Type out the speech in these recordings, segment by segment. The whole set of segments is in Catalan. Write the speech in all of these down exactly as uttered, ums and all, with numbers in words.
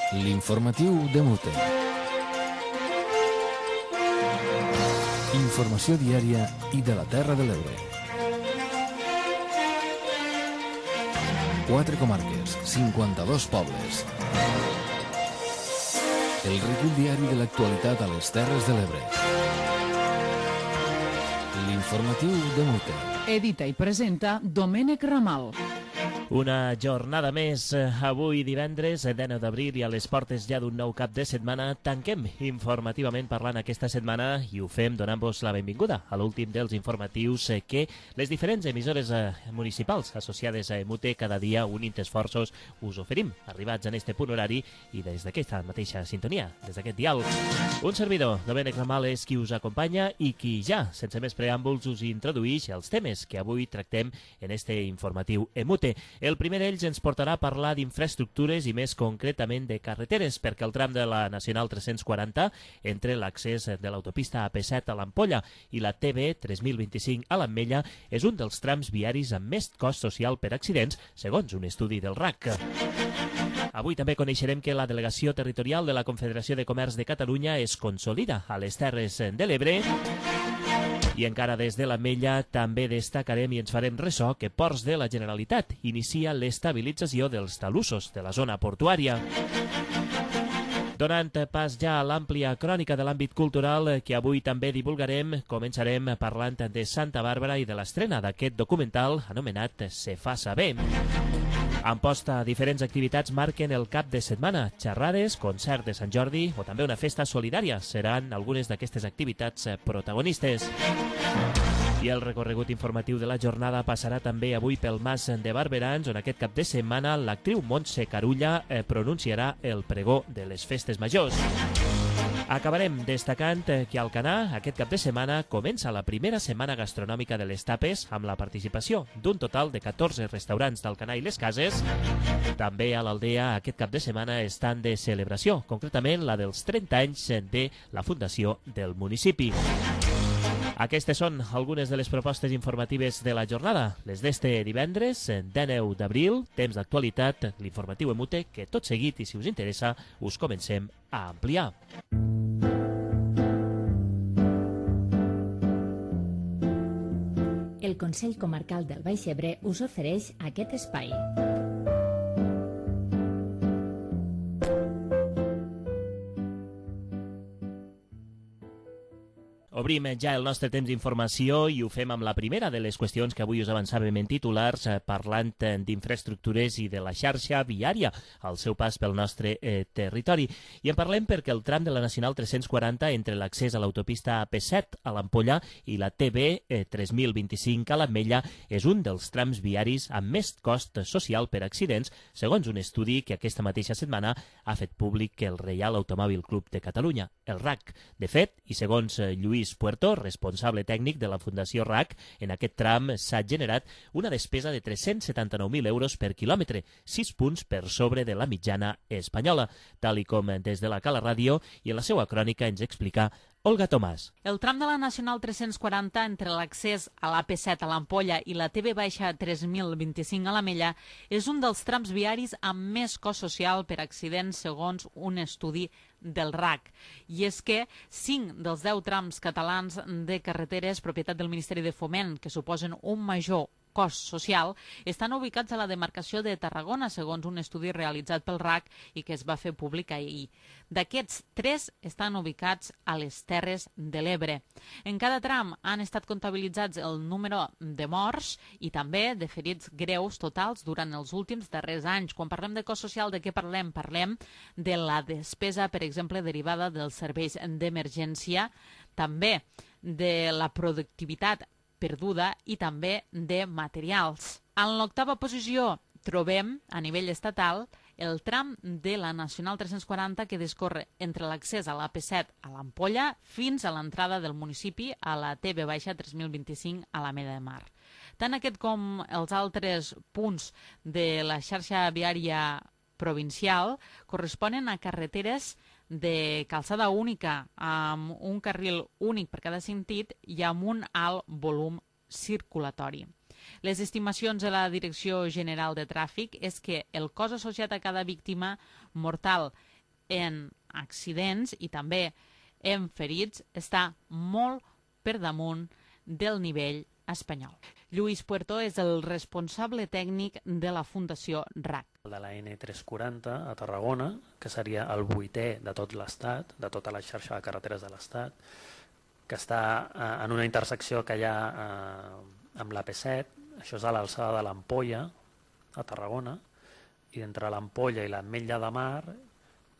L'informatiu de Mute. Informació diària i de la Terra de l'Ebre. Quatre comarques, cinquanta-dos pobles. El recull diari de l'actualitat a les Terres de l'Ebre. L'informatiu de Mute. Edita i presenta Domènec Ramal. Una jornada més, avui divendres, dinou d'abril, i a les portes ja d'un nou cap de setmana. Tanquem informativament parlant aquesta setmana i ho fem donant-vos la benvinguda a l'últim dels informatius que les diferents emissores municipals associades a Mute cada dia, unint esforços, us oferim, arribats en este punt horari i des d'aquesta mateixa sintonia, des d'aquest dial. Un servidor, Domènec Ramal, és qui us acompanya i qui ja, sense més preàmbuls, us introduïx els temes que avui tractem en este informatiu Mute. El primer d'ells ens portarà a parlar d'infraestructures i més concretament de carreteres, perquè el tram de la Nacional tres-cents quaranta, entre l'accés de l'autopista A P set a l'Ampolla i la T B tres mil vint-i-cinc a l'Ametlla, és un dels trams viaris amb més cost social per accidents, segons un estudi del R A C. Avui també coneixerem que la Delegació Territorial de la Confederació de Comerç de Catalunya es consolida a les Terres de l'Ebre. I encara des de l'Ametlla també destacarem i ens farem ressò que Ports de la Generalitat inicia l'estabilització dels talussos de la zona portuària. Donant pas ja a l'àmplia crònica de l'àmbit cultural que avui també divulgarem, començarem parlant de Santa Bàrbara i de l'estrena d'aquest documental anomenat Se fa saber. En posta, diferents activitats marquen el cap de setmana. Xerrades, concert de Sant Jordi o també una festa solidària seran algunes d'aquestes activitats protagonistes. I el recorregut informatiu de la jornada passarà també avui pel Mas de Barberans, on aquest cap de setmana l'actriu Montse Carulla pronunciarà el pregó de les festes majors. Acabarem destacant que a Alcanar aquest cap de setmana comença la primera setmana gastronòmica de les tapes amb la participació d'un total de catorze restaurants d'Alcanar i les Cases. També a l'Aldea aquest cap de setmana estan de celebració, concretament la dels trenta anys de la fundació del municipi. Aquestes són algunes de les propostes informatives de la jornada. Les d'este divendres, dinou d'abril, temps d'actualitat, l'informatiu Mute, que tot seguit, i si us interessa, us comencem a ampliar. El Consell Comarcal del Baix Ebre us ofereix aquest espai. Obrim ja el nostre temps d'informació i ho fem amb la primera de les qüestions que avui us avançàvem en titulars, parlant d'infraestructures i de la xarxa viària al seu pas pel nostre eh, territori. I en parlem perquè el tram de la Nacional tres-cents quaranta entre l'accés a l'autopista A P set a l'Ampolla i la T B eh, tres mil vint-i-cinc a l'Ametlla és un dels trams viaris amb més cost social per accidents, segons un estudi que aquesta mateixa setmana ha fet públic el Reial Automòbil Club de Catalunya, el R A C. De fet, i segons eh, Lluís Puerto, responsable tècnic de la Fundació R A C, en aquest tram s'ha generat una despesa de tres-cents setanta-nou mil euros per quilòmetre, sis punts per sobre de la mitjana espanyola, tal i com des de la Cala Ràdio i en la seva crònica ens explica Olga Tomàs. El tram de la Nacional tres-cents quaranta entre l'accés a l'A P set a l'Ampolla i la T B tres mil vint-i-cinc a l'Ametlla és un dels trams viaris amb més cost social per accidents, segons un estudi del R A C. I és que cinc dels deu trams catalans de carreteres, propietat del Ministeri de Foment, que suposen un major cost social, estan ubicats a la demarcació de Tarragona, segons un estudi realitzat pel R A C i que es va fer públic ahir. D'aquests, tres estan ubicats a les Terres de l'Ebre. En cada tram han estat comptabilitzats el número de morts i també de ferits greus totals durant els últims darrers anys. Quan parlem de cost social, de què parlem? Parlem de la despesa, per exemple, derivada dels serveis d'emergència, també de la productivitat perduda i també de materials. En l'octava posició trobem, a nivell estatal, el tram de la Nacional tres-cents quaranta que discorre entre l'accés a l'A P set a l'Ampolla fins a l'entrada del municipi a la T B tres mil vint-i-cinc a l'Ametlla de Mar. Tant aquest com els altres punts de la xarxa viària provincial corresponen a carreteres de calçada única, amb un carril únic per cada sentit i amb un alt volum circulatori. Les estimacions de la Direcció General de Tràfic és que el cost associat a cada víctima mortal en accidents i també en ferits està molt per damunt del nivell espanyol. Lluís Puerto és el responsable tècnic de la Fundació R A C. De la ene tres quaranta a Tarragona, que seria el vuitè de tot l'Estat, de tota la xarxa de carreteres de l'Estat, que està eh, en una intersecció que hi ha eh, amb l'A P set, això és a l'alçada de l'Ampolla, a Tarragona, i entre l'Ampolla i l'Ametlla de Mar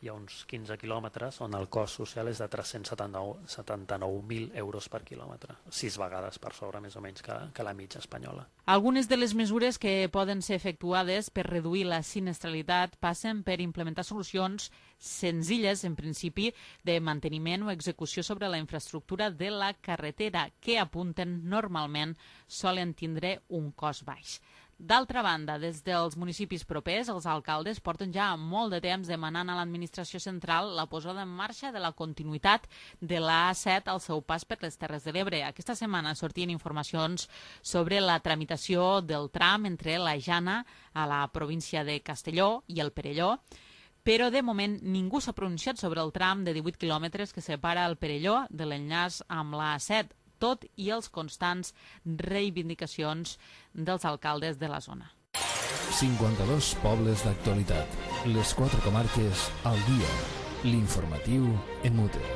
hi ha uns quinze quilòmetres on el cost social és de tres-cents setanta-nou mil euros per quilòmetre, sis vegades per sobre més o menys que, que la mitja espanyola. Algunes de les mesures que poden ser efectuades per reduir la sinistralitat passen per implementar solucions senzilles, en principi, de manteniment o execució sobre la infraestructura de la carretera, que apunten normalment solen tindre un cost baix. D'altra banda, des dels municipis propers, els alcaldes porten ja molt de temps demanant a l'administració central la posada en marxa de la continuïtat de la A set al seu pas per les Terres de l'Ebre. Aquesta setmana sortien informacions sobre la tramitació del tram entre la Jana, a la província de Castelló, i el Perelló, però de moment ningú s'ha pronunciat sobre el tram de divuit quilòmetres que separa el Perelló de l'enllaç amb la A set, tot i els constants reivindicacions dels alcaldes de la zona. cinquanta-dos pobles d'actualitat. Les quatre comarques al dia. L'informatiu en Mute.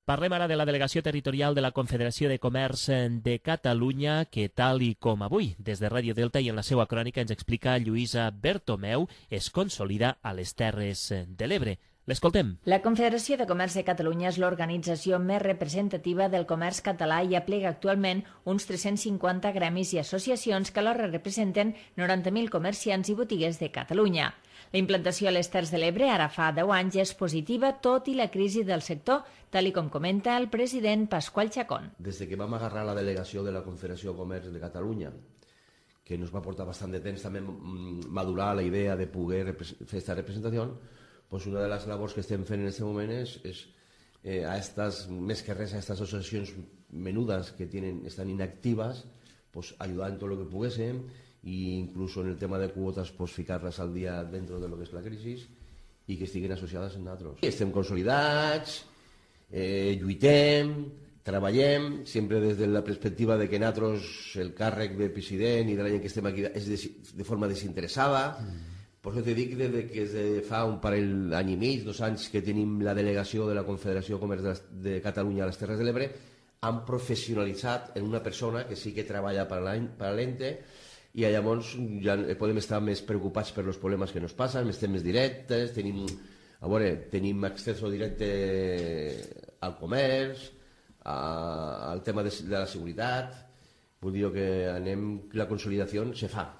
Parlem ara de la delegació territorial de la Confederació de Comerç de Catalunya, que tal i com avui, des de Ràdio Delta i en la seva crònica ens explica Lluïsa Bertomeu, es consolida a les Terres de l'Ebre. L'escoltem. La Confederació de Comerç de Catalunya és l'organització més representativa del comerç català i aplega actualment uns tres-cents cinquanta gremis i associacions que alhora representen noranta mil comerciants i botigues de Catalunya. La implantació a les Terres de l'Ebre ara fa deu anys és positiva, tot i la crisi del sector, tal i com comenta el president Pasqual Chacón. Des que vam agarrar la delegació de la Confederació de Comerç de Catalunya, que ens va portar bastant de temps també madurar la idea de poder fer aquesta representació, pues una de les labors que estem fent en aquest moment és, és eh, a estas, més que res a estas associacions menudes que tienen, estan inactives, pues ayudar en tot el que poguéssim, i inclús en el tema de quotes pues, ficar-les al dia dentro de lo que és la crisi i que estiguin associades en nosaltres. Estem consolidats, eh, lluitem, treballem, sempre des de la perspectiva de que nosaltres el càrrec de president i de la gent que estem aquí és de, de forma desinteressada. Mm. Per això t'he dit que des que de fa un parell d'any i mig, dos anys que tenim la delegació de la Confederació de Comerç de, de Catalunya a les Terres de l'Ebre, han professionalitzat en una persona que sí que treballa per a l'ente, i llavors ja podem estar més preocupats per els problemes que ens passen, estem més directes, tenim, a veure, tenim acceso directe al comerç, a, al tema de, de la seguretat, vull dir que anem, la consolidació se fa,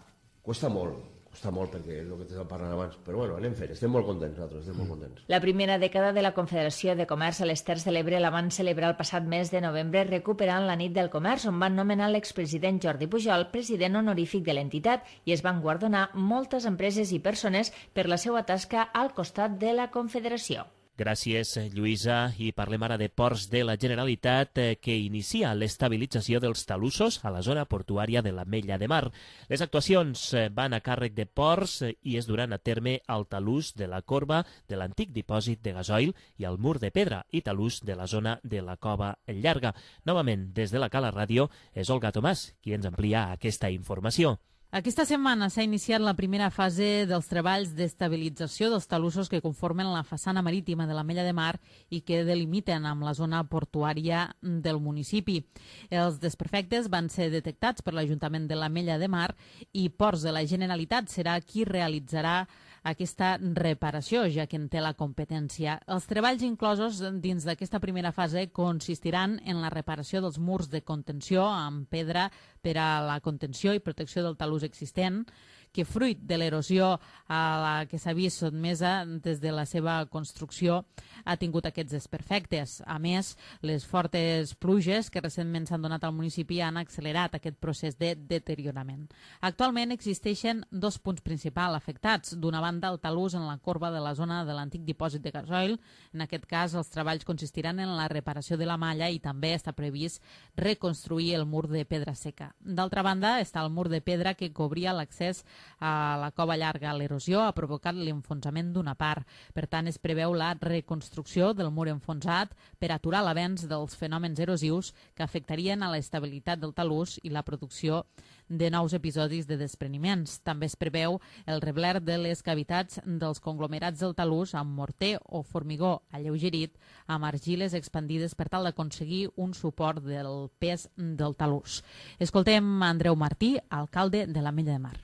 costa molt, costa molt perquè és el que t'estava parlant abans, però bueno, anem fent, estem molt contents nosaltres, estem molt contents. La primera dècada de la Confederació de Comerç a les Terres de l'Ebre la van celebrar el passat mes de novembre recuperant la nit del comerç, on van nomenar l'expresident Jordi Pujol president honorífic de l'entitat i es van guardonar moltes empreses i persones per la seva tasca al costat de la Confederació. Gràcies, Lluïsa. I parlem ara de Ports de la Generalitat, que inicia l'estabilització dels talussos a la zona portuària de l'Ametlla de Mar. Les actuacions van a càrrec de Ports i es duran a terme al talús de la corba de l'antic dipòsit de gasoil i al mur de pedra i talús de la zona de la Cova Llarga. Novament, des de la Cala Ràdio, és Olga Tomàs qui ens amplia aquesta informació. Aquesta setmana s'ha iniciat la primera fase dels treballs d'estabilització dels talussos que conformen la façana marítima de l'Ametlla de Mar i que delimiten amb la zona portuària del municipi. Els desperfectes van ser detectats per l'Ajuntament de l'Ametlla de Mar i Ports de la Generalitat serà qui realitzarà aquesta reparació, ja que en té la competència. Els treballs inclosos dins d'aquesta primera fase consistiran en la reparació dels murs de contenció amb pedra per a la contenció i protecció del talús existent, que fruit de l'erosió a la que s'ha vist sotmesa des de la seva construcció ha tingut aquests desperfectes. A més, les fortes pluges que recentment s'han donat al municipi han accelerat aquest procés de deteriorament. Actualment existeixen dos punts principals afectats. D'una banda, el talús en la corba de la zona de l'antic dipòsit de gasoil. En aquest cas, els treballs consistiran en la reparació de la malla i també està previst reconstruir el mur de pedra seca. D'altra banda, està el mur de pedra que cobria l'accés a la cova llarga. L'erosió ha provocat l'enfonsament d'una part. Per tant, es preveu la reconstrucció del mur enfonsat per aturar l'avenç dels fenòmens erosius que afectarien a l'estabilitat del talús i la producció de nous episodis de despreniments. També es preveu el rebler de les cavitats dels conglomerats del talús amb morter o formigó alleugerit amb argiles expandides per tal d'aconseguir un suport del pes del talús. Escoltem Andreu Martí, alcalde de l'Ametlla de Mar.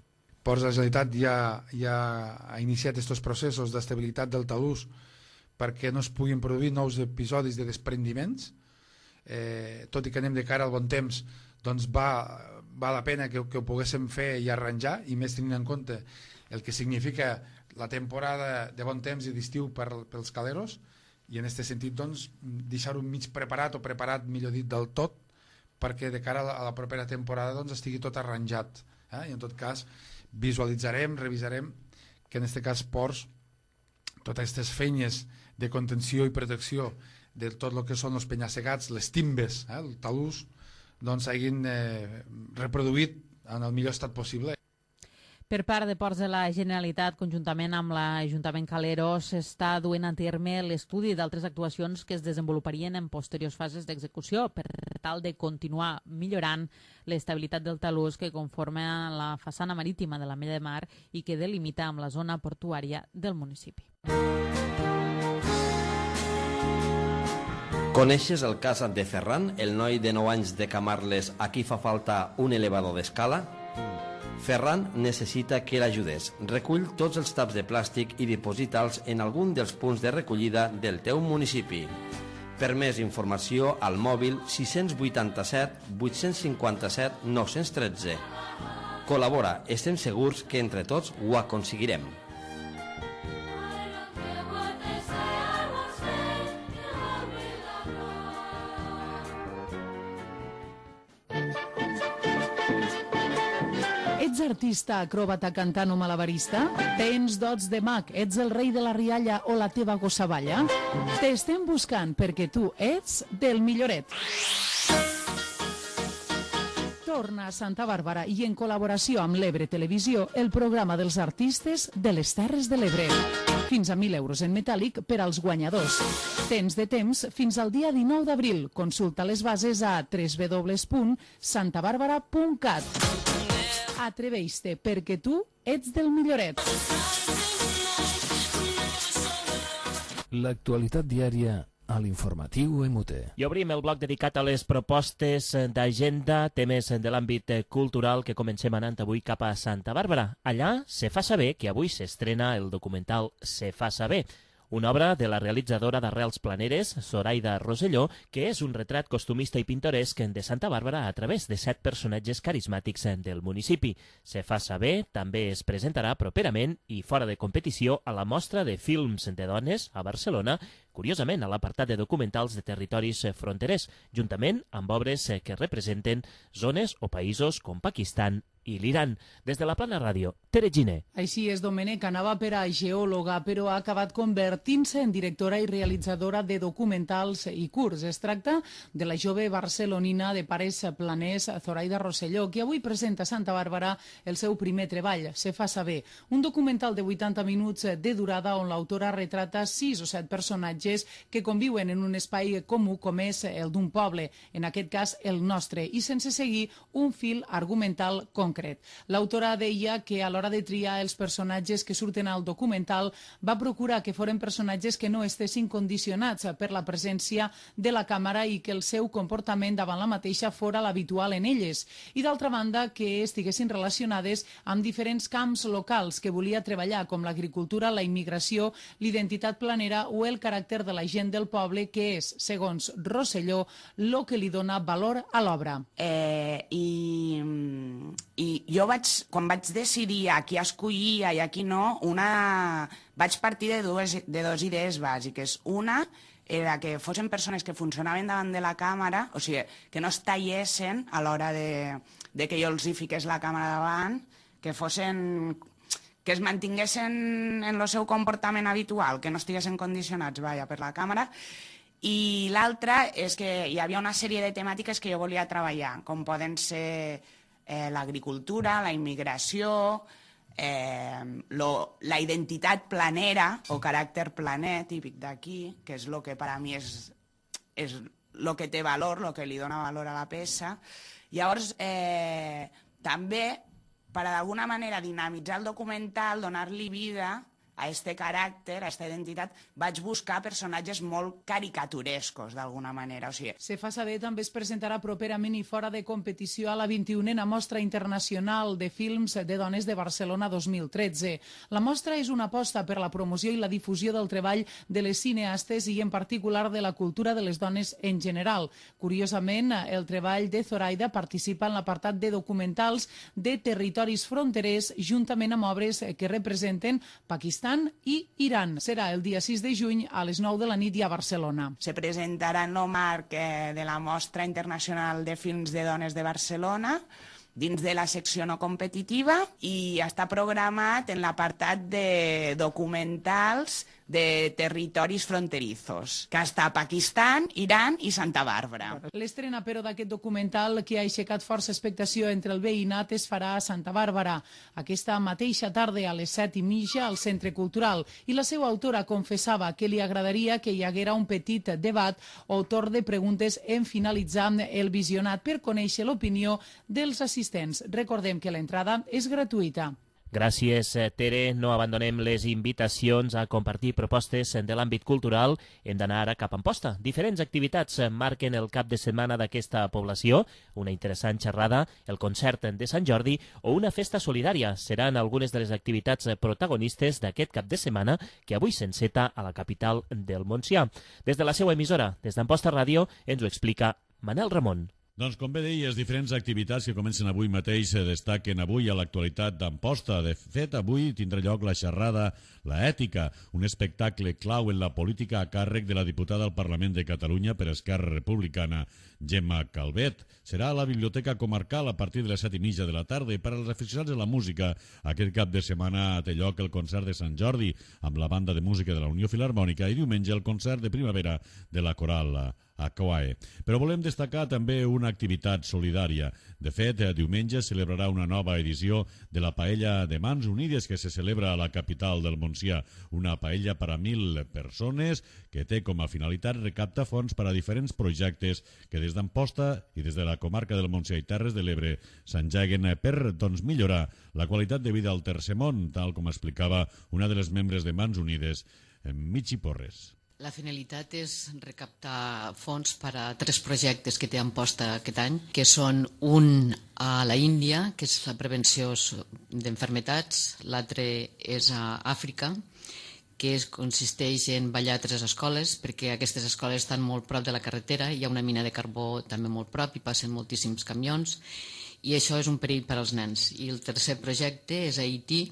Ports de la Generalitat ja, ja ha iniciat aquests processos d'estabilitat del talús perquè no es puguin produir nous episodis de desprendiments. Eh, tot i que anem de cara al bon temps, doncs va, va la pena que, que ho poguéssim fer i arranjar, i més tenint en compte el que significa la temporada de bon temps i d'estiu per, pels caleros, i en aquest sentit doncs, deixar-ho mig preparat o preparat, millor dit, del tot, perquè de cara a la, a la propera temporada doncs, estigui tot arranjat. Eh? I en tot cas visualitzarem, revisarem que en aquest cas ports, totes aquestes feines de contenció i protecció de tot el que són els penyassegats, les timbes, eh? el talús, doncs hagin eh, reproduït en el millor estat possible. Per part de Ports de la Generalitat, conjuntament amb l'Ajuntament Calero, s'està duent a terme l'estudi d'altres actuacions que es desenvoluparien en posteriors fases d'execució per tal de continuar millorant l'estabilitat del talús que conforma la façana marítima de l'Ametlla de Mar i que delimita amb la zona portuària del municipi. Coneixes el cas de Ferran, el noi de nou anys de Camarles a qui fa falta un elevador d'escala? Ferran necessita que l'ajudes. Recull tots els taps de plàstic i diposita'ls en algun dels punts de recollida del teu municipi. Per més informació, al mòbil sis vuitanta-set vuit cinquanta-set nou tretze. Col·labora, estem segurs que entre tots ho aconseguirem. Ets artista, acròbata, cantant o malabarista? Tens dots de mag? Ets el rei de la rialla o la teva gossavalla? T'estem buscant perquè tu ets del milloret. Torna a Santa Bàrbara i en col·laboració amb l'Ebre Televisió el programa dels artistes de les Terres de l'Ebre. Fins a mil euros en metàl·lic per als guanyadors. Tens de temps fins al dia dinou d'abril. Consulta les bases a w w w punt santa bàrbara punt cat. Atreveix-te, perquè tu ets del milloret. L'actualitat diària a l'informatiu E M U T E. I obrim el bloc dedicat a les propostes d'agenda, temes de l'àmbit cultural, que comencem anant avui cap a Santa Bàrbara. Allà se fa saber que avui s'estrena el documental Se fa saber, una obra de la realitzadora d'Arrels Planeres, Zoraida Rosselló, que és un retrat costumista i pintoresc de Santa Bàrbara a través de set personatges carismàtics del municipi. Se fa saber també es presentarà properament i fora de competició a la Mostra de Films de Dones a Barcelona, curiosament a l'apartat de documentals de territoris fronterers, juntament amb obres que representen zones o països com Pakistan i l'Iran. Des de la Plana Ràdio, Tere Giner. Així és, Domènec, anava per a geòloga, però ha acabat convertint-se en directora i realitzadora de documentals i curts. Es tracta de la jove barcelonina de pares planers, Zoraida Rosselló, que avui presenta a Santa Bàrbara el seu primer treball, Se fa saber, un documental de vuitanta minuts de durada on l'autora retrata sis o set personatges que conviuen en un espai comú com és el d'un poble, en aquest cas el nostre, i sense seguir un fil argumental concret. L'autora deia que a l'hora de triar els personatges que surten al documental va procurar que foren personatges que no estessin condicionats per la presència de la càmera i que el seu comportament davant la mateixa fora l'habitual en elles. I d'altra banda, que estiguessin relacionades amb diferents camps locals que volia treballar, com l'agricultura, la immigració, l'identitat planera o el caràcter de la gent del poble, que és, segons Rosselló, el que li dona valor a l'obra. Eh, i, i, jo vaig, quan vaig decidir a qui escollia i a qui no, una... vaig partir de dues, de dues idees bàsiques. Una era que fossin persones que funcionaven davant de la càmera, o sigui, que no es tallessin a l'hora de, de que jo els hi fiqués la càmera davant, que fossin... que es mantinguessin en el seu comportament habitual, que no estiguessin condicionats, vaja, per la càmera. I l'altra és que hi havia una sèrie de temàtiques que jo volia treballar, com poden ser eh, l'agricultura, la immigració, eh, lo, la identitat planera o caràcter planer típic d'aquí, que és el que per a mi és, és el que té valor, el que li dona valor a la peça. Llavors, eh, també, per d'alguna manera dinamitzar el documental, donar-li vida a este caràcter, a esta identitat, vaig buscar personatges molt caricaturescos, d'alguna manera. O sigui... Se fa saber també es presentarà properament i fora de competició a la vint-i-unena Mostra Internacional de Films de Dones de Barcelona dos mil tretze. La mostra és una aposta per la promoció i la difusió del treball de les cineastes i en particular de la cultura de les dones en general. Curiosament, el treball de Zoraida participa en l'apartat de documentals de territoris fronterers juntament amb obres que representen Pakistan i Iran. Serà el dia sis de juny a les nou de la nit i a Barcelona. Se presentarà en el marc de la Mostra Internacional de Films de Dones de Barcelona, dins de la secció no competitiva, i està programat en l'apartat de documentals de territoris fronterizos, que està a Pakistan, Iran i Santa Bàrbara. L'estrena, però, d'aquest documental que ha aixecat força expectació entre el veïnat es farà a Santa Bàrbara, aquesta mateixa tarda a les set i mitja al Centre Cultural, i la seva autora confessava que li agradaria que hi haguera un petit debat o torn de preguntes en finalitzar el visionat per conèixer l'opinió dels assistents. Recordem que l'entrada és gratuïta. Gràcies, Tere. No abandonem les invitacions a compartir propostes de l'àmbit cultural. Hem d'anar ara cap a Amposta. Diferents activitats marquen el cap de setmana d'aquesta població. Una interessant xerrada, el concert de Sant Jordi o una festa solidària. Seran algunes de les activitats protagonistes d'aquest cap de setmana que avui s'enceta a la capital del Montsià. Des de la seva emissora, des d'Amposta Ràdio, ens ho explica Manel Ramon. Doncs, com bé deies, diferents activitats que comencen avui mateix se destaquen avui a l'actualitat d'Amposta. De fet, avui tindrà lloc la xerrada La Ètica, un espectacle clau en la política a càrrec de la diputada al Parlament de Catalunya per Esquerra Republicana, Gemma Calvet. Serà a la Biblioteca Comarcal a partir de les set i mitja de la tarda i per als aficionats de la música, aquest cap de setmana té lloc el concert de Sant Jordi amb la banda de música de la Unió Filharmònica i diumenge el concert de primavera de la Coral a Coae. Però volem destacar també una activitat solidària. De fet, diumenge es celebrarà una nova edició de la Paella de Mans Unides que se celebra a la capital del Montsià. Una paella per a mil persones que té com a finalitat recaptar fons per a diferents projectes que des d'Amposta i des de la comarca del Montsià i Terres de l'Ebre s'engeguen per doncs, millorar la qualitat de vida al Tercer Món, tal com explicava una de les membres de Mans Unides, Michi Porres. La finalitat és recaptar fons per a tres projectes que té Amposta aquest any, que són un a la Índia, que és la prevenció d'enfermetats, l'altre és a Àfrica, que es, consisteix en ballar a tres escoles, perquè aquestes escoles estan molt prop de la carretera, hi ha una mina de carbó també molt prop i passen moltíssims camions, i això és un perill per als nens. I el tercer projecte és a Haití,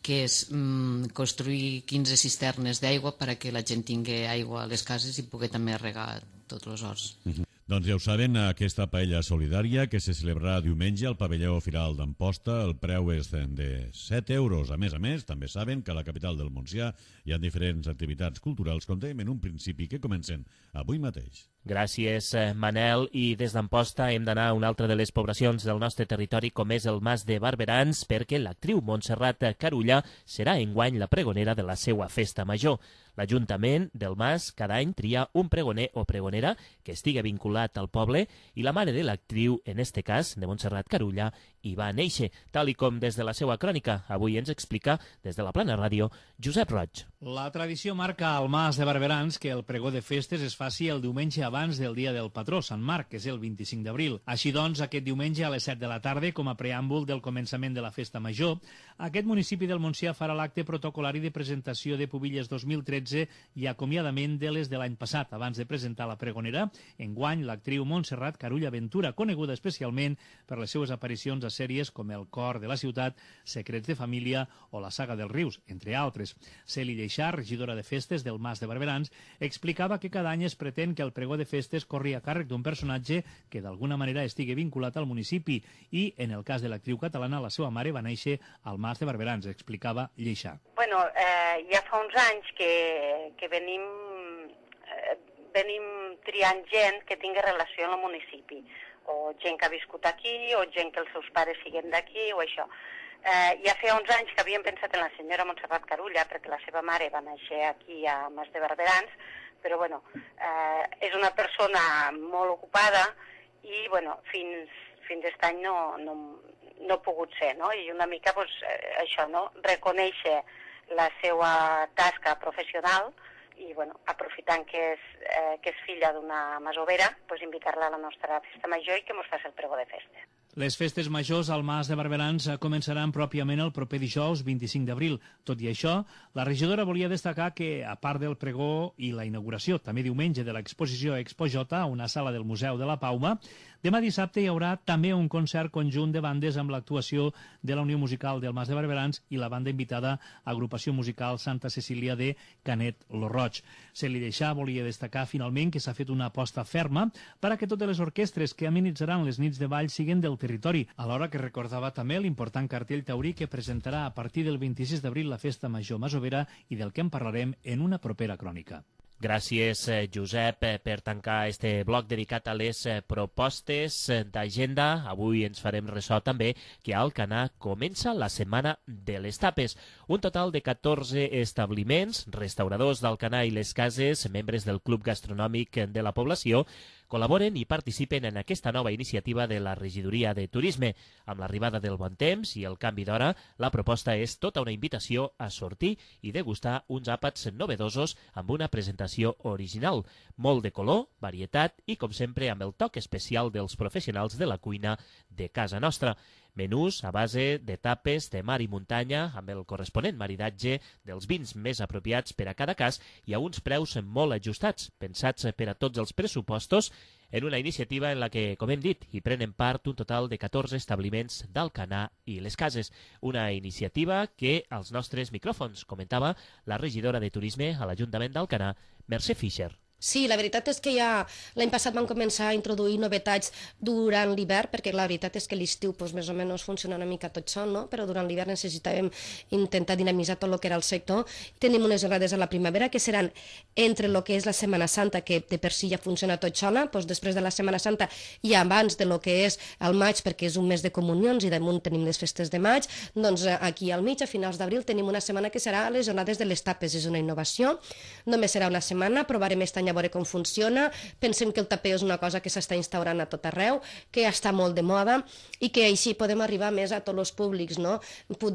que és mm, construir quinze cisternes d'aigua perquè la gent tingui aigua a les cases i pugui també regar tots els horts. Uh-huh. Doncs ja ho saben, aquesta paella solidària que se celebrarà diumenge al pavelló Firal d'Amposta, el preu és de set euros. A més a més, també saben que a la capital del Montsià hi ha diferents activitats culturals, com dèiem en un principi, que comencen avui mateix. Gràcies, Manel. I des d'Amposta hem d'anar a una altra de les poblacions del nostre territori, com és el Mas de Barberans, perquè l'actriu Montserrat Carulla serà enguany la pregonera de la seva festa major. L'Ajuntament del Mas cada any tria un pregoner o pregonera que estigui vinculat al poble i la mare de l'actriu, en este cas, de Montserrat Carulla, hi va néixer, tal i com des de la seva crònica avui ens explica des de la Plana Ràdio Josep Roig. La tradició marca al Mas de Barberans que el pregó de festes es faci el diumenge abans del dia del patró, Sant Marc, que és el vint-i-cinc d'abril. Així doncs, aquest diumenge a les set de la tarda, com a preàmbul del començament de la festa major, aquest municipi del Montsià farà l'acte protocolari de presentació de Pubilles dos mil tretze i acomiadament de les de l'any passat. Abans de presentar la pregonera, enguany l'actriu Montserrat Carulla Ventura, coneguda especialment per les seues aparicions a sèries com El cor de la ciutat, Secrets de família o La saga dels rius, entre altres. Celi Lleixà, regidora de festes del Mas de Barberans, explicava que cada any es pretén que el pregó de festes corri a càrrec d'un personatge que d'alguna manera estigui vinculat al municipi i, en el cas de l'actriu catalana, la seva mare va néixer al Mas de Barberans, explicava Lleixà. Bueno, eh, ja fa uns anys que, que venim, eh, venim triant gent que tingui relació amb el municipi, o gent que ha viscut aquí, o gent que els seus pares siguen d'aquí, o això. Eh, ja feia uns anys que havíem pensat en la senyora Montserrat Carulla, perquè la seva mare va néixer aquí a Mas de Barberans, però bueno, eh, és una persona molt ocupada i bueno, fins, fins aquest any no, no, no ha pogut ser, no? I una mica pues, eh, això, no? Reconèixer la seva tasca professional i bueno, aprofitant que és, eh, que és filla d'una masovera, pues, invitar-la a la nostra festa major i que mos faci el pregó de festa. Les festes majors al Mas de Barberans començaran pròpiament el proper dijous vint-i-cinc d'abril. Tot i això, la regidora volia destacar que, a part del pregó i la inauguració, també diumenge, de l'exposició Expo J a una sala del Museu de la Pauma, demà dissabte hi haurà també un concert conjunt de bandes amb l'actuació de la Unió Musical del Mas de Barberans i la banda invitada Agrupació Musical Santa Cecília de Canet lo Roig. Celi Lleixà volia destacar finalment que s'ha fet una aposta ferma per a que totes les orquestres que amenitzaran les nits de ball siguin del territori, alhora que recordava també l'important cartell taurí que presentarà a partir del vint-i-sis d'abril la Festa Major Masovera i del que en parlarem en una propera crònica. Gràcies, Josep, per tancar este bloc dedicat a les propostes d'agenda. Avui ens farem ressò també que a Alcanar comença la Setmana de les Tapes. Un total de catorze establiments, restauradors d'Alcanar i les cases, membres del Club Gastronòmic de la població, col·laboren i participen en aquesta nova iniciativa de la Regidoria de Turisme. Amb l'arribada del bon temps i el canvi d'hora, la proposta és tota una invitació a sortir i degustar uns àpats novedosos amb una presentació original, molt de color, varietat i, com sempre, amb el toc especial dels professionals de la cuina de casa nostra. Menús a base de tapes de mar i muntanya amb el corresponent maridatge dels vins més apropiats per a cada cas i a uns preus molt ajustats, pensats per a tots els pressupostos, en una iniciativa en la que, com hem dit, hi prenen part un total de catorze establiments d'Alcanar i les cases. Una iniciativa que als nostres micròfons comentava la regidora de Turisme a l'Ajuntament d'Alcanar, Mercè Fischer. Sí, la veritat és que ja l'any passat vam començar a introduir novetats durant l'hivern, perquè la veritat és que l'estiu pues, més o menys funciona una mica tot sol, no? Però durant l'hivern necessitàvem intentar dinamitzar tot el que era el sector. Tenim unes jornades a la primavera que seran entre el que és la Setmana Santa, que de per si ja funciona tot sola, doncs després de la Setmana Santa i abans de lo que és el maig, perquè és un mes de comunions i damunt tenim les festes de maig, doncs aquí al mig, a finals d'abril, tenim una setmana que serà les jornades de les tapes. És una innovació, només serà una setmana, provarem aquest any a veure com funciona. Pensem que el tapeo és una cosa que s'està instaurant a tot arreu, que està molt de moda i que així podem arribar més a tots els públics, no?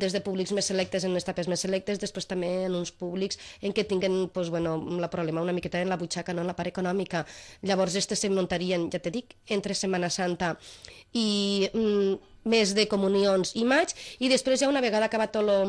Des de públics més selectes en les tapes més selectes, després també en uns públics en què tinguen pues, bueno, la problema una miqueta en la butxaca, no en la part econòmica. Llavors, aquestes se muntarien, ja te dic, entre Setmana Santa i mm, mes de comunions i maig, i després ja una vegada acabat tot lo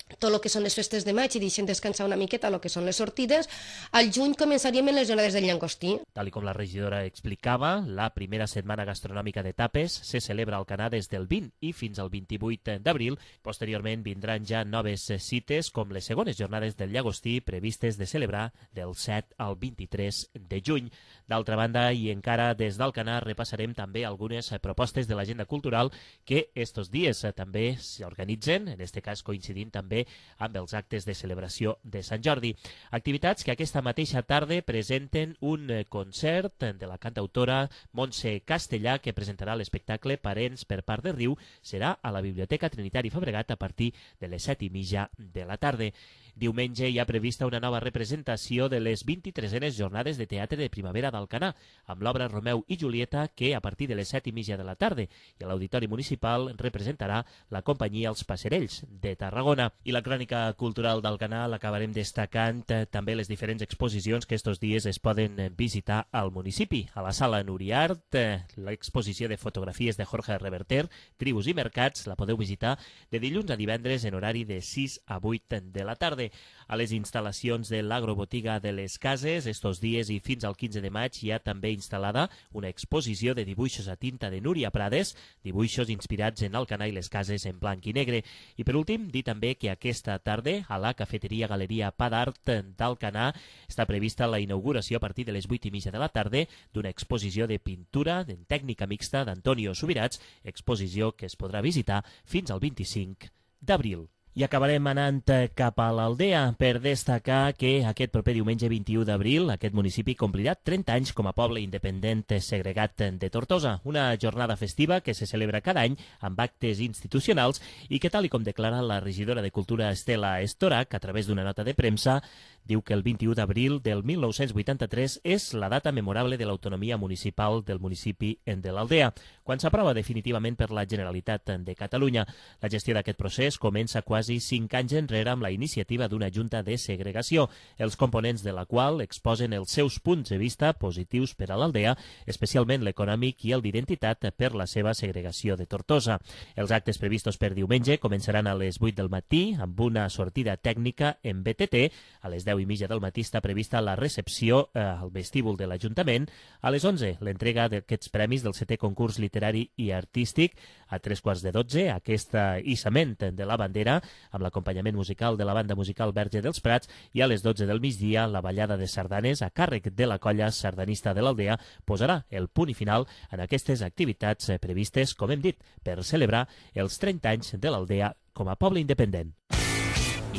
tot el que són les festes de maig i deixem descansar una miqueta el que són les sortides, al juny començaríem en les jornades del llangostí. Tal com la regidora explicava, la primera setmana gastronòmica de tapes se celebra al Alcanar des del vint i fins al vint-i-vuit d'abril. Posteriorment vindran ja noves cites com les segones jornades del llagostí previstes de celebrar del set al vint-i-tres de juny. D'altra banda, i encara des d'Alcanar, repassarem també algunes propostes de l'agenda cultural que estos dies també s'organitzen, en este cas coincidint també amb els actes de celebració de Sant Jordi. Activitats que aquesta mateixa tarda presenten un concert de la cantautora Montse Castellà, que presentarà l'espectacle Parents per part de Riu. Serà a la Biblioteca Trinitari Fabregat a partir de les set i mitja de la tarda. Diumenge hi ha prevista una nova representació de les vint-i-tresenes jornades de teatre de primavera d'Alcanar, amb l'obra Romeu i Julieta, que a partir de les set i mitja de la tarda i a l'Auditori Municipal representarà la companyia Els Passerells de Tarragona. I la crònica cultural del canal acabarem destacant eh, també les diferents exposicions que estos dies es poden eh, visitar al municipi. A la sala Nuriart, eh, l'exposició de fotografies de Jorge Reverter, Tribus i Mercats, la podeu visitar de dilluns a divendres en horari de sis a vuit de la tarda. A les instal·lacions de l'agrobotiga de les Cases, estos dies i fins al quinze de maig hi ha també instal·lada una exposició de dibuixos a tinta de Núria Prades, dibuixos inspirats en Alcanar i les Cases en blanc i negre. I per últim, dir també que aquesta tarda a la cafeteria Galeria Pa d'Art d'Alcanar està prevista la inauguració a partir de les vuit i mitja de la tarda d'una exposició de pintura en tècnica mixta d'Antonio Subirats, exposició que es podrà visitar fins al vint-i-cinc d'abril. I acabarem anant cap a l'Aldea per destacar que aquest proper diumenge vint-i-u d'abril aquest municipi complirà trenta anys com a poble independent segregat de Tortosa, una jornada festiva que se celebra cada any amb actes institucionals i que, tal i com declara la regidora de Cultura Estela Estorac a través d'una nota de premsa, diu que el vint-i-u d'abril del mil nou-cents vuitanta-tres és la data memorable de l'autonomia municipal del municipi de l'Aldea, quan s'aprova definitivament per la Generalitat de Catalunya. La gestió d'aquest procés comença quasi cinc anys enrere amb la iniciativa d'una junta de segregació, els components de la qual exposen els seus punts de vista positius per a l'Aldea, especialment l'econòmic i el d'identitat per la seva segregació de Tortosa. Els actes previstos per diumenge començaran a les vuit del matí amb una sortida tècnica en B T T. A les deu i mitja del matí està prevista la recepció eh, al vestíbul de l'Ajuntament. A les onze, l'entrega d'aquests premis del setè concurs literari i artístic. A tres quarts de dotze, aquest hissament de la bandera amb l'acompanyament musical de la banda musical Verge dels Prats, i a les dotze del migdia la ballada de sardanes a càrrec de la colla sardanista de l'Aldea posarà el punt i final en aquestes activitats previstes, com hem dit, per celebrar els trenta anys de l'Aldea com a poble independent.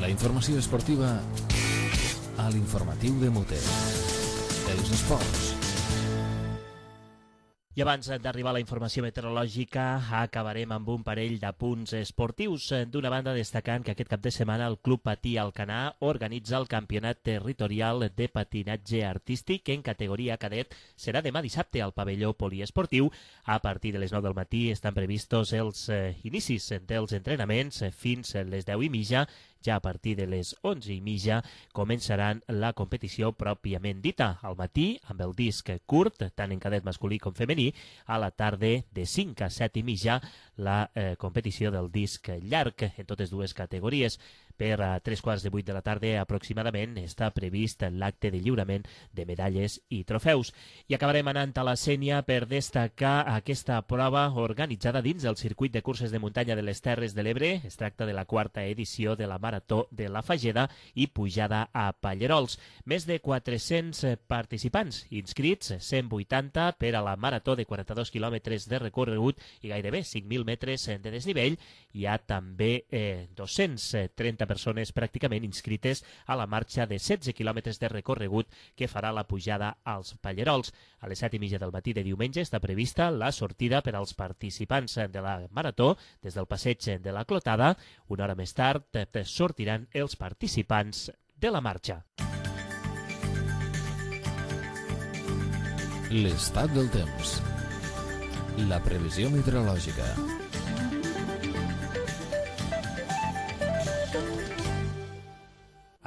La informació esportiva a l'informatiu de Mute. Els esports. I abans d'arribar a la informació meteorològica, acabarem amb un parell d'apunts esportius. D'una banda, destacant que aquest cap de setmana el Club Patí Alcanar organitza el Campionat Territorial de Patinatge Artístic en categoria cadet. Serà demà dissabte al pavelló poliesportiu. A partir de les nou del matí estan previstos els eh, inicis dels entrenaments fins a les deu i mitja. Ja a partir de les onze i mitja començaran la competició pròpiament dita. Al matí, amb el disc curt, tant en cadet masculí com femení. A la tarda, de cinc a set i mitja, la eh, competició del disc llarg en totes dues categories. Per a tres quarts de vuit de la tarda aproximadament està previst l'acte de lliurament de medalles i trofeus. I acabarem anant a la Sénia per destacar aquesta prova organitzada dins del circuit de curses de muntanya de les Terres de l'Ebre. Es tracta de la quarta edició de la Marató de la Fageda i pujada a Pallerols. Més de quatre-cents participants inscrits, cent vuitanta per a la Marató de quaranta-dos quilòmetres de recorregut i gairebé cinc mil metres de desnivell. Hi ha també eh, dos-cents trenta persones pràcticament inscrites a la marxa de setze quilòmetres de recorregut que farà la pujada als Pallerols. A les set i mitja del matí de diumenge està prevista la sortida per als participants de la Marató des del passeig de la Clotada. Una hora més tard sortiran els participants de la marxa. L'estat del temps. La previsió meteorològica.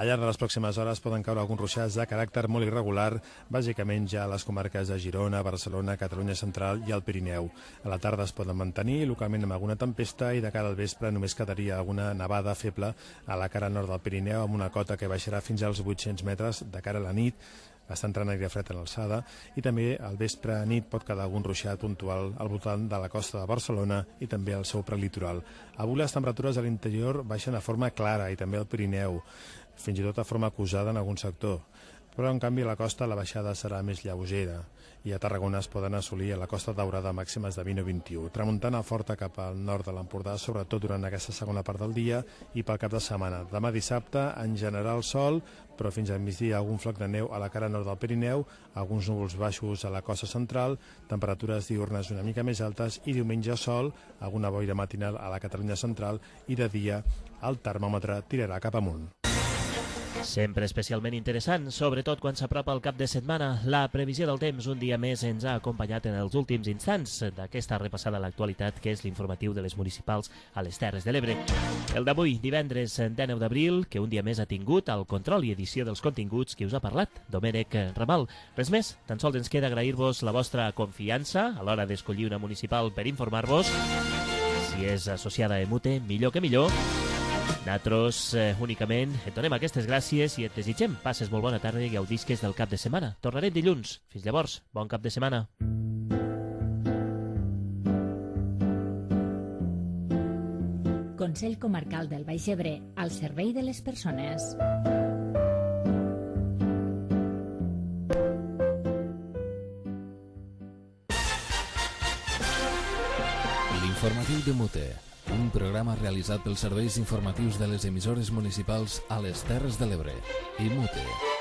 Al llarg de les pròximes hores poden caure alguns ruixats de caràcter molt irregular, bàsicament ja a les comarques de Girona, Barcelona, Catalunya Central i el Pirineu. A la tarda es poden mantenir localment amb alguna tempesta i de cara al vespre només quedaria alguna nevada feble a la cara nord del Pirineu amb una cota que baixarà fins als vuit-cents metres de cara a la nit. Està entrant aire fred en l'alçada i també al vespre a nit pot quedar algun ruixat puntual al voltant de la costa de Barcelona i també al seu prelitoral. Avui les temperatures a l'interior baixen de forma clara i també al Pirineu, fins i tot de forma acusada en algun sector. Però en canvi a la costa la baixada serà més lleugera i a Tarragona es poden assolir a la Costa Daurada màximes de vint o vint-i-u. Tramuntana forta cap al nord de l'Empordà, sobretot durant aquesta segona part del dia i pel cap de setmana. Demà dissabte, en general sol, però fins al migdia algun floc de neu a la cara nord del Pirineu, alguns núvols baixos a la costa central, temperatures diurnes una mica més altes i diumenge sol, alguna boira matinal a la Catalunya central i de dia el termòmetre tirarà cap amunt. Sempre especialment interessant, sobretot quan s'apropa el cap de setmana. La previsió del temps un dia més ens ha acompanyat en els últims instants d'aquesta repassada a l'actualitat, que és l'informatiu de les municipals a les Terres de l'Ebre. El d'avui, divendres dinou d'abril, que un dia més ha tingut el control i edició dels continguts que us ha parlat Domènec Ramal. Res més, tan sols ens queda agrair-vos la vostra confiança a l'hora d'escollir una municipal per informar-vos. Si és associada a Emute, millor que millor. Nosaltres eh, únicament et donem aquestes gràcies i et desitgem passes molt bona tarda i gaudisques del cap de setmana. Tornarem dilluns. Fins llavors, bon cap de setmana. Consell Comarcal del Baix Ebre, al servei de les persones. L'informatiu de Mute, un programa realitzat pels serveis informatius de les emissores municipals a les Terres de l'Ebre i Mute.